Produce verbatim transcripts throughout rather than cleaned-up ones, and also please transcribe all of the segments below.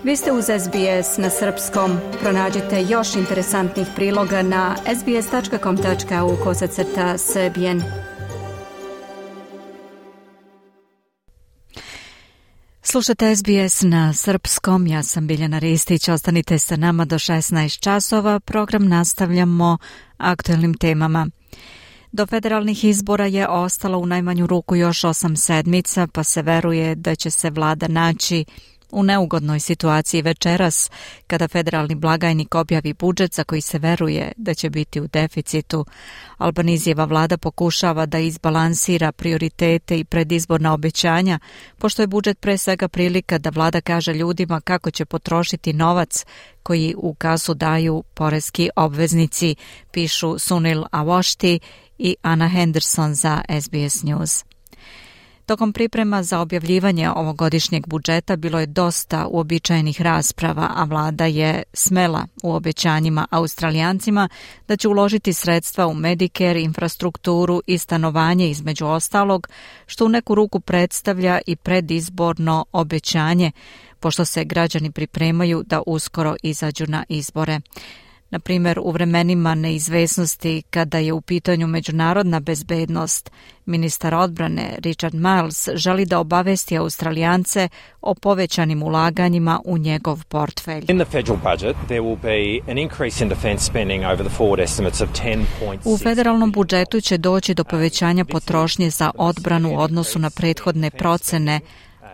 Vi ste uz S B S na srpskom. Pronađite još interesantnih priloga na sbs.com.au kosacrta srbijen. Slušate S B S na srpskom, ja sam Biljana Ristić, ostanite sa nama do šesnaest časova, program nastavljamo aktuelnim temama. Do federalnih izbora je ostalo u najmanju ruku još osam sedmica, pa se veruje da će se vlada naći u neugodnoj situaciji večeras, kada federalni blagajnik objavi budžet za koji se veruje da će biti u deficitu. Albanizijeva vlada pokušava da izbalansira prioritete i predizborna obećanja, pošto je budžet pre svega prilika da vlada kaže ljudima kako će potrošiti novac koji u kasu daju poreski obveznici, pišu Sunil Awashti i Anna Henderson za S B S News. Tokom priprema za objavljivanje ovogodišnjeg budžeta bilo je dosta uobičajenih rasprava, a vlada je smela u obećanjima Australijancima da će uložiti sredstva u Medicare, infrastrukturu i stanovanje između ostalog, što u neku ruku predstavlja i predizborno obećanje, pošto se građani pripremaju da uskoro izađu na izbore. Na primjer, u vremenima neizvesnosti kada je u pitanju međunarodna bezbednost, ministar odbrane Richard Marles želi da obavesti Australijance o povećanim ulaganjima u njegov portfelj. U federalnom budžetu će doći do povećanja potrošnje za odbranu u odnosu na prethodne procene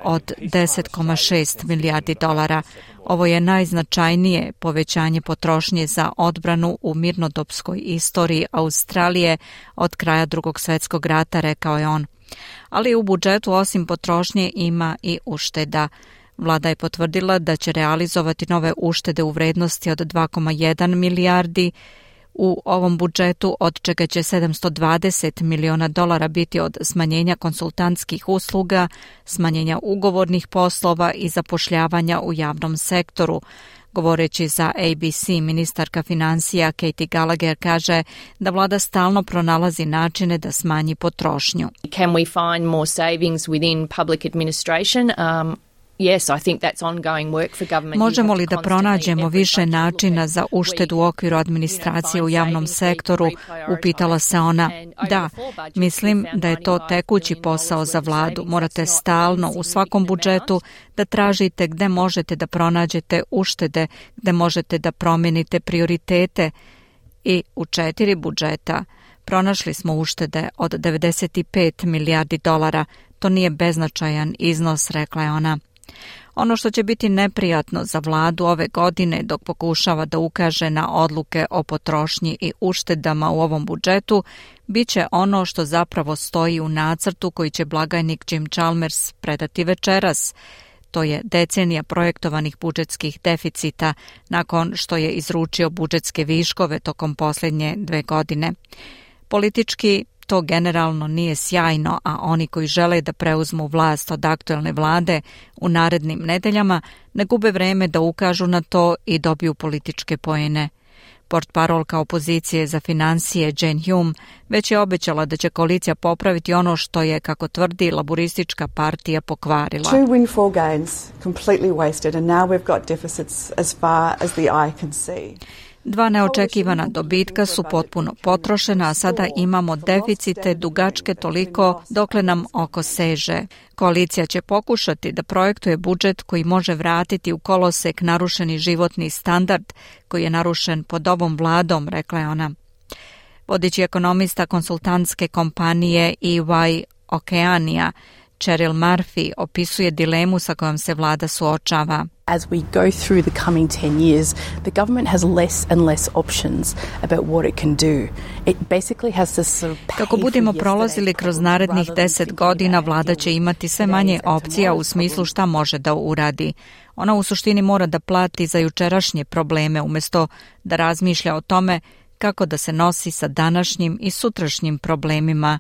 od deset zarez šest milijardi dolara. Ovo je najznačajnije povećanje potrošnje za odbranu u mirnodopskoj istoriji Australije od kraja Drugog svjetskog rata, rekao je on. Ali u budžetu osim potrošnje ima i ušteda. Vlada je potvrdila da će realizovati nove uštede u vrednosti od dva zarez jedan milijardi u ovom budžetu, od čega će sedamsto dvadeset miliona dolara biti od smanjenja konsultantskih usluga, smanjenja ugovornih poslova i zapošljavanja u javnom sektoru. Govoreći za A B C, ministarka financija Katie Gallagher kaže da vlada stalno pronalazi načine da smanji potrošnju. Can we find more savings within public administration? Um, Yes, I think that's ongoing work for government. Možemo li da pronađemo više načina za uštedu u okviru administracije u javnom sektoru? Upitala se ona. Da, mislim da je to tekući posao za vladu. Morate stalno u svakom budžetu da tražite gde možete da pronađete uštede, gde možete da promenite prioritete. I u četiri budžeta pronašli smo uštede od devedeset pet milijardi dolara. To nije beznačajan iznos, rekla je ona. Ono što će biti neprijatno za vladu ove godine dok pokušava da ukaže na odluke o potrošnji i uštedama u ovom budžetu, bit će ono što zapravo stoji u nacrtu koji će blagajnik Jim Chalmers predati večeras. To je decenija projektovanih budžetskih deficita nakon što je izručio budžetske viškove tokom posljednje dve godine. Politički to generalno nije sjajno, a oni koji žele da preuzmu vlast od aktuelne vlade u narednim nedeljama ne gube vreme da ukažu na to i dobiju političke poene. Portparolka opozicije za financije Jane Hume već je obećala da će koalicija popraviti ono što je, kako tvrdi, laburistička partija pokvarila. Two windfall gains completely wasted and now we've got deficits as far as the eye can see. Dva neočekivana dobitka su potpuno potrošena, a sada imamo deficite dugačke toliko dokle nam oko seže. Koalicija će pokušati da projektuje budžet koji može vratiti u kolosek narušeni životni standard koji je narušen pod ovom vladom, rekla je ona. Vodeći ekonomista konsultantske kompanije E Y Okeanija, Cheryl Murphy, opisuje dilemu sa kojom se vlada suočava. As we go through the coming ten years, the government has less and less options about what it can do. It basically has to sort of pay. Kako budemo prolazili kroz narednih deset godina, vlada će imati sve manje opcija u smislu šta može da uradi. Ona u suštini mora da plati za jučerašnje probleme umjesto da razmišlja o tome kako da se nosi sa današnjim i sutrašnjim problemima.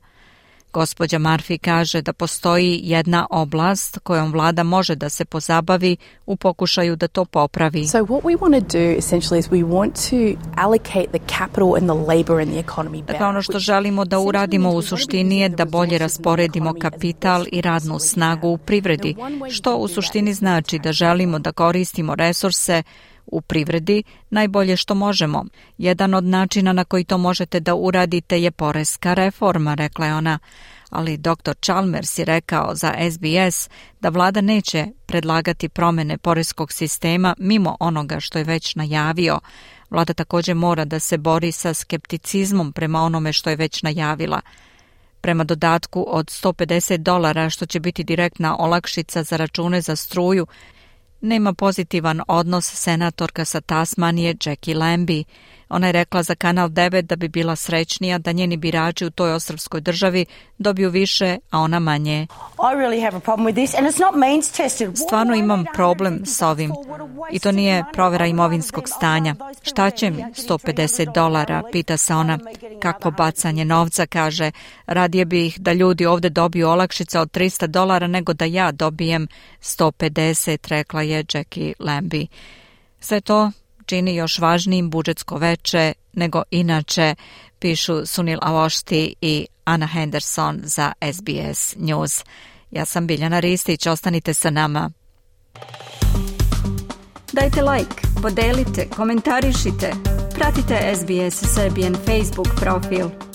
Gospođa Murphy kaže da postoji jedna oblast kojom vlada može da se pozabavi u pokušaju da to popravi. So what we want to do essentially is we want to allocate the capital and the labor in the economy better. Dakle, ono što želimo da uradimo u suštini je da bolje rasporedimo kapital i radnu snagu u privredi, što u suštini znači da želimo da koristimo resurse u privredi najbolje što možemo. Jedan od načina na koji to možete da uradite je poreska reforma, rekla je ona. Ali doktor Chalmers je rekao za S B S da vlada neće predlagati promjene poreskog sistema mimo onoga što je već najavio. Vlada također mora da se bori sa skepticizmom prema onome što je već najavila. Prema dodatku od sto pedeset dolara, što će biti direktna olakšica za račune za struju, nema pozitivan odnos senatorka sa Tasmanije Jackie Lambie. Ona je rekla za Kanal devet da bi bila srećnija da njeni birači u toj ostrvskoj državi dobiju više, a ona manje. Stvarno imam problem s ovim i to nije provera imovinskog stanja. Šta će mi sto pedeset dolara, pita se ona. Kakvo bacanje novca, kaže. Radije bih da ljudi ovdje dobiju olakšice od trista dolara nego da ja dobijem sto pedeset, rekla je Jackie Lambie. Sve to čini još važnijim budžetsko veče nego inače, pišu Sunil Awosthi i Anna Henderson za S B S News. Ja sam Biljana Ristić, ostanite sa nama. Dajte like, podelite, komentarišite, pratite S B S Serbian Facebook profil.